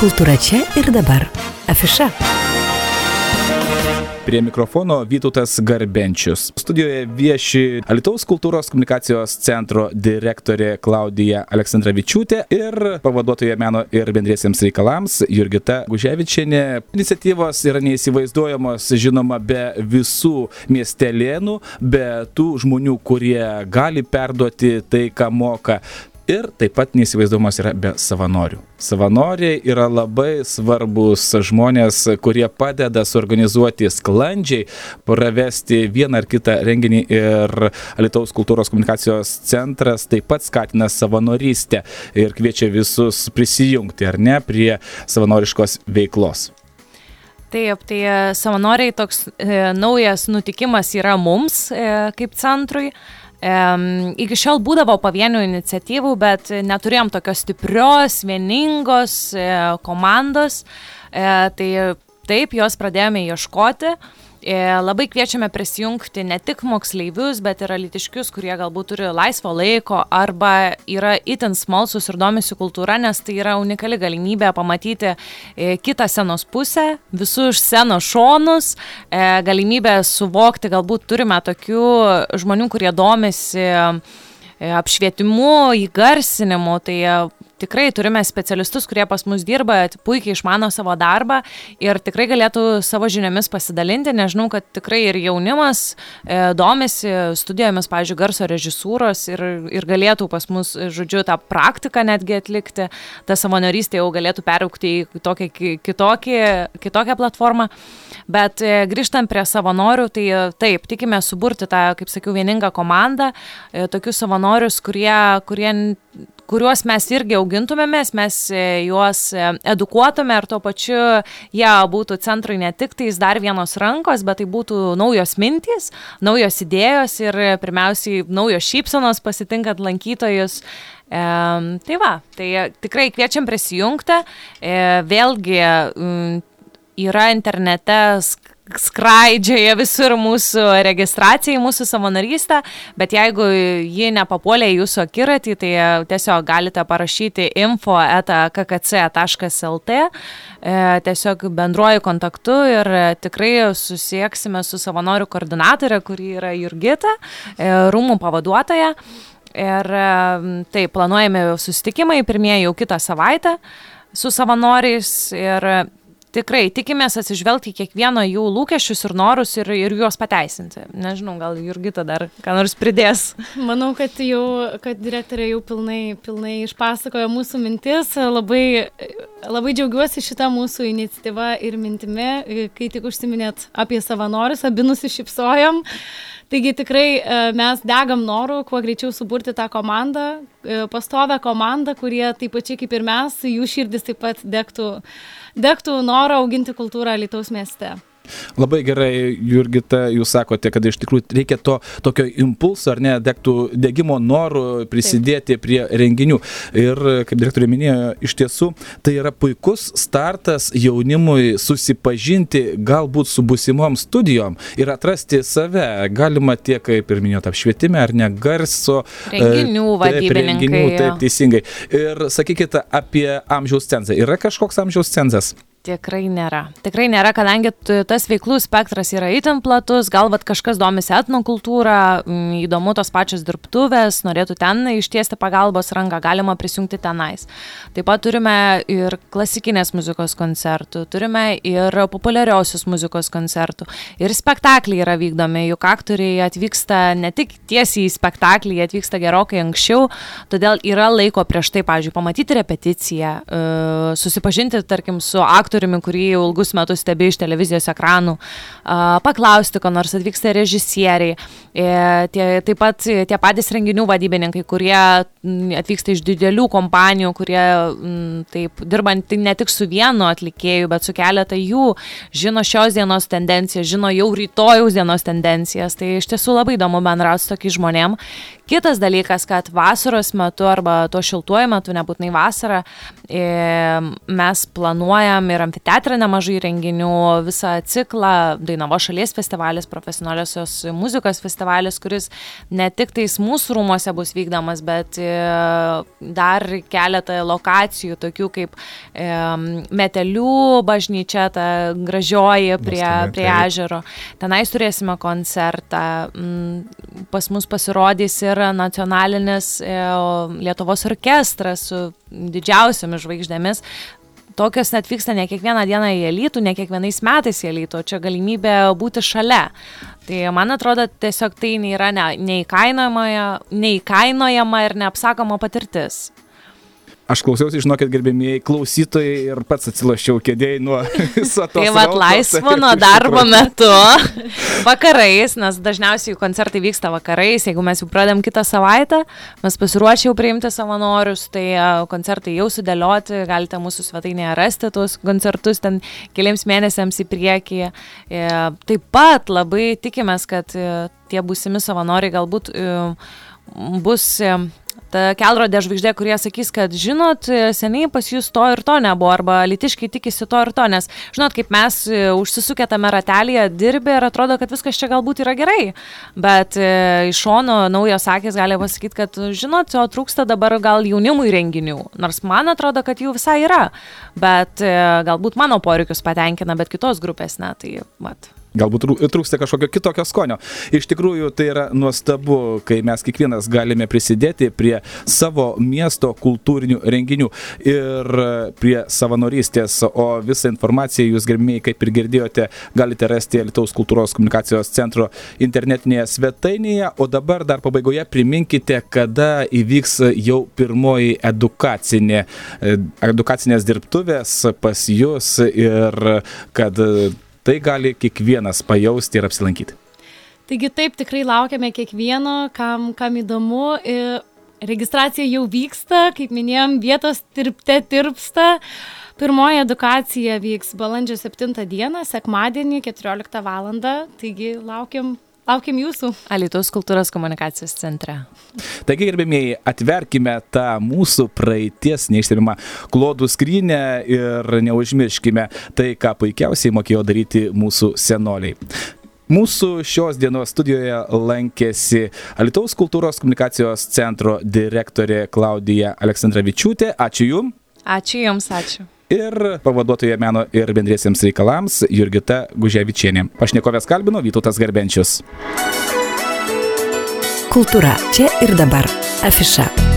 Kultūra čia ir dabar. Afiša. Prie mikrofono Vytautas Garbenčius. Studijoje vieši Alytaus kultūros komunikacijos centro direktorė Klaudija Aleksandravičiūtė ir pavaduotoja meno ir bendriesiems reikalams Jurgita Guževičienė. Iniciatyvos yra neįsivaizduojamos, žinoma, be visų miestelėnų, be tų žmonių, kurie gali perduoti tai, ką moka. Ir taip pat neįsivaizduojamas yra be savanorių. Savanoriai yra labai svarbus žmonės, kurie padeda suorganizuoti sklandžiai, pravesti vieną ar kitą renginį, ir Alytaus kultūros komunikacijos centras taip pat skatina savanorystę ir kviečia visus prisijungti, ar ne, prie savanoriškos veiklos. Taip, tai savanoriai toks naujas nutikimas yra mums kaip centrui. Iki šiol būdavo pavienių iniciatyvų, bet neturėjom tokios stiprios, vieningos komandos, tai taip, jos pradėjome ieškoti. Labai kviečiame prisijungti ne tik moksleivius, bet ir alytiškius, kurie galbūt turi laisvo laiko arba yra itin smalsūs ir domisi kultūra, nes tai yra unikali galimybė pamatyti kitą scenos pusę, visus scenos šonus, galimybę suvokti, galbūt turime tokių žmonių, kurie domisi apšvietimu, įgarsinimu, tai tikrai turime specialistus, kurie pas mus dirba, puikiai išmano savo darbą ir tikrai galėtų savo žiniomis pasidalinti. Nežinau, kad tikrai ir jaunimas domisi studijomis, pavyzdžiui, garso režisūros ir galėtų pas mus, žodžiu, tą praktiką netgi atlikti. Ta savanorystė jau galėtų peraugti į tokią kitokią platformą. Bet grįžtant prie savanorių, tai taip, tikime suburti tą, kaip sakiau, vieningą komandą, tokius savanorius, kuriuos mes irgi augintumėmės, mes juos edukuotume ir tuo pačiu jie būtų centrai ne tik tais dar vienos rankos, bet tai būtų naujos mintys, naujos idėjos ir pirmiausiai naujos šypsenos pasitinkant lankytojus. Tai va, tai tikrai kviečiam prisijungti. Vėlgi yra internete skraidžioja visur mūsų registracija į mūsų savanorystę, bet jeigu ji nepapuolė į jūsų akiratį, tai tiesiog galite parašyti info@kkc.lt, tiesiog bendruoju kontaktu ir tikrai susieksime su savanorių koordinatorė, kuri yra Jurgita, rūmų pavaduotoja. Ir taip, planuojame susitikimai, pirmieji jau kitą savaitę su savanoriais ir tikrai tikimės atsižvelgti į kiekvieno jų lūkesčius ir norus ir juos pateisinti. Nežinau, gal Jurgita dar ką nors pridės. Manau, kad direktorė jau pilnai išpasakojo mūsų mintis. Labai džiaugiuosi šitą mūsų iniciatyvą ir mintimi, kai tik užsiminėt apie savanorius, abi nusišypsojom. Taigi tikrai mes degam noru, kuo greičiau suburti tą komandą, pastovią komandą, kurie taip pačiai kaip ir mes, jų širdis taip pat degtų norą auginti kultūrą Alytaus mieste. Labai gerai, Jurgita, jūs sakote, kad iš tikrųjų reikia tokio impulso, ar ne, degimo norų prisidėti prie renginių. Ir, kaip direktorė minėjo, iš tiesų, tai yra puikus startas jaunimui susipažinti galbūt su būsimom studijom ir atrasti save. Galima tiek, kaip ir minėjot, apšvietime, ar ne, garso. Renginių vadybininkai. Taip, teisingai. Ir sakykite apie amžiaus cenzą. Yra kažkoks amžiaus cenzas? Tikrai nėra, kadangi tas veiklų spektras yra itin platus, galbūt kažkas domisi etnokultūrą, įdomu tos pačios dirbtuvės, norėtų ten ištiesti pagalbos ranką, galima prisijungti tenais. Taip pat turime ir klasikinės muzikos koncertų, turime ir populiariausios muzikos koncertų, ir spektakliai yra vykdomi, juk aktoriai atvyksta ne tik tiesiai į spektaklį, jie atvyksta gerokai anksčiau, todėl yra laiko prieš tai, pavyzdžiui, pamatyti repeticiją, susipažinti, tarkim, su aktoriumi, kurį jau ilgus metus stebi iš televizijos ekranų, paklausti, ko nors atvyksta režisieriai, taip pat tie patys renginių vadybininkai, kurie atvyksta iš didelių kompanijų, kurie taip dirbant ne tik su vienu atlikėju, bet su keletą jų, žino šios dienos tendencijas, žino jau rytojaus dienos tendencijas, tai iš tiesų labai įdomu bendrauti su tokiais žmonėm. Kitas dalykas, kad vasaros metu arba to šiltuoju metu, nebūtinai vasarą, mes planuojam ir ir amfiteatrą nemažai renginių, visą ciklą, Dainavos šalies festivalis, profesionaliosios muzikos festivalis, kuris ne tik tais mūsų rūmuose bus vykdomas, bet dar keletą lokacijų, tokių kaip Metelių bažnyčia, ta gražioji prie ežero. Tenais turėsime koncertą. Pas mus pasirodys ir nacionalinis Lietuvos orkestras su didžiausiomis žvaigždėmis. Tokios net vyksta ne kiekvieną dieną į Alytų, ne kiekvienais metais į Alytų, čia galimybė būti šalia. Tai man atrodo, tiesiog tai nėra neįkainojama ir neapsakoma patirtis. Aš klausiausi, žinokit, gerbėmieji klausytojai ir pats atsiloščiau kėdėjai nuo viso to. Tai vat laisvo nuo darbo metu, vakarais, nes dažniausiai koncertai vyksta vakarais, jeigu mes jau pradėm kitą savaitę, mes pasiruošę jau priimti savanorius, tai koncertai jau sudėlioti, galite mūsų svetainėje rasti tuos koncertus ten keliams mėnesiams į priekį. Taip pat labai tikimės, kad tie būsimi savanoriai galbūt bus ta kelrodė žvaigždė, kurie sakys, kad žinot, seniai pas jūs to ir to nebuvo, arba alytiškiai tikisi to ir to, nes žinot, kaip mes užsisukę tame ratelėje dirbė ir atrodo, kad viskas čia galbūt yra gerai, bet iš šono naujos akys gali pasakyti, kad žinot, o trūksta dabar gal jaunimui renginių, nors man atrodo, kad jų visai yra, bet galbūt mano poreikius patenkina, bet kitos grupės ne, tai mat. Galbūt trūksta kažkokio kitokio skonio. Iš tikrųjų, tai yra nuostabu, kai mes kiekvienas galime prisidėti prie savo miesto kultūrinių renginių ir prie savanorystės, o visą informaciją jūs, gerbėjai, kaip ir girdėjote, galite rasti Alytaus kultūros komunikacijos centro internetinėje svetainėje, o dabar dar pabaigoje priminkite, kada įvyks jau pirmoji edukacinės dirbtuvės pas jūs ir kad tai gali kiekvienas pajausti ir apsilankyti. Taigi taip, tikrai laukiame kiekvieno, kam įdomu. Registracija jau vyksta, kaip minėjom, vietos tirpsta. Pirmoji edukacija vyks balandžio 7 dieną, sekmadienį, 14 valandą. Taigi laukiam jūsų. Alytaus kultūros komunikacijos centre. Taigi, gerbėmieji, atverkime tą mūsų praeities neišstebimą klodų skrynę ir neužmirškime tai, ką puikiausiai mokėjo daryti mūsų senoliai. Mūsų šios dienos studijoje lankėsi Alytaus kultūros komunikacijos centro direktorė Klaudija Aleksandravičiūtė. Ačiū Jums. Ačiū Jums, ačiū. Ir pavaduotoja meno ir bendriesiems reikalams Jurgita Guževičienė. Pašnekovės kalbino Vytautas Garbenčius. Kultūra čia ir dabar. Afiša.